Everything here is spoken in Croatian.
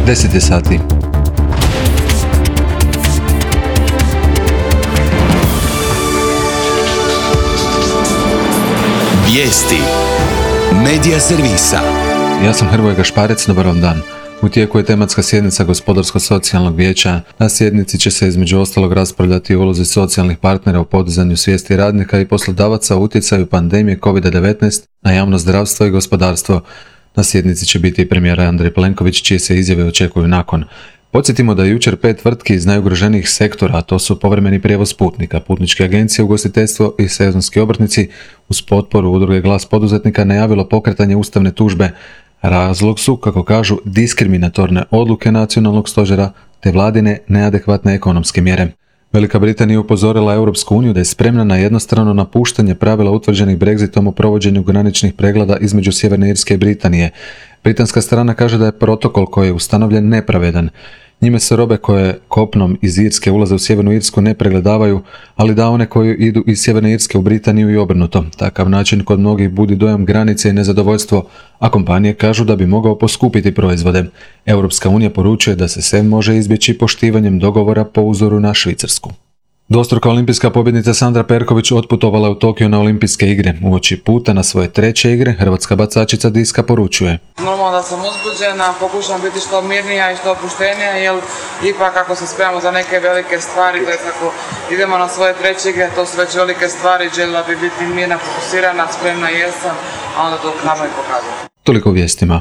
10 sati. Vijesti Medija servisa. Ja sam Hrvoje Gašparec, dobar vam dan. U tijeku je tematska sjednica Gospodarsko-socijalnog vijeća. Na sjednici će se između ostalog raspravljati o ulozi socijalnih partnera u podizanju svijesti radnika i poslodavaca o utjecaju pandemije COVID-19 na javno zdravstvo i gospodarstvo. Na sjednici će biti i premijer Andrej Plenković, čije se izjave očekuju nakon. Podsjetimo da je jučer 5 tvrtki iz najugroženijih sektora, a to su povremeni prijevoz putnika, putničke agencije, ugostiteljstvo i sezonski obrtnici, uz potporu udruge Glas poduzetnika najavilo pokretanje ustavne tužbe. Razlog su, kako kažu, diskriminatorne odluke nacionalnog stožera te vladine neadekvatne ekonomske mjere. Velika Britanija upozorila Europsku uniju da je spremna na jednostrano napuštanje pravila utvrđenih Brexitom o provođenju graničnih pregleda između Sjeverne Irske i Britanije. Britanska strana kaže da je protokol koji je ustanovljen nepravedan. Njime se robe koje kopnom iz Irske ulaze u Sjevernu Irsku ne pregledavaju, ali da one koje idu iz Sjeverne Irske u Britaniju i obrnuto. Takav način kod mnogih budi dojam granice i nezadovoljstvo, a kompanije kažu da bi mogao poskupiti proizvode. Europska unija poručuje da se sve može izbjeći poštivanjem dogovora po uzoru na Švicarsku. Dvostruka olimpijska pobjednica Sandra Perković otputovala u Tokio na olimpijske igre. Uoči puta na svoje 3. igre, hrvatska bacačica diska poručuje: Normalno da sam uzbuđena, pokušam biti što mirnija i što opuštenija, jer ipak ako se spremamo za neke velike stvari, to je kako idemo na svoje 3. igre, to su već velike stvari, željela bi biti mirna, fokusirana, spremna jesam, a onda to nama i pokazati. Toliko u vijestima.